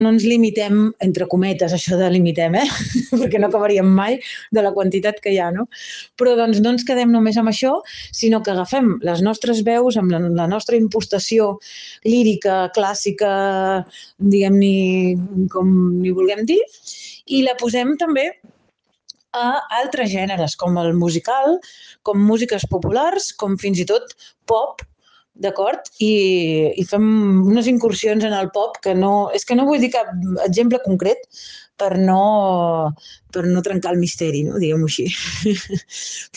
no ens limitem, entre cometes, això de limitem, perquè no acabaríem mai de la quantitat que hi ha, no? Però doncs no ens quedem només amb això, sinó que agafem les nostres veus amb la nostra impostació lírica, clàssica, diguem-ne com ni vulguem dir, i la posem també a altres gèneres, com el musical, com músiques populars, com fins i tot pop, d'acord? I fem unes incursions en el pop que no... És que no vull dir cap exemple concret per no trencar el misteri, no? Diguem-ho així.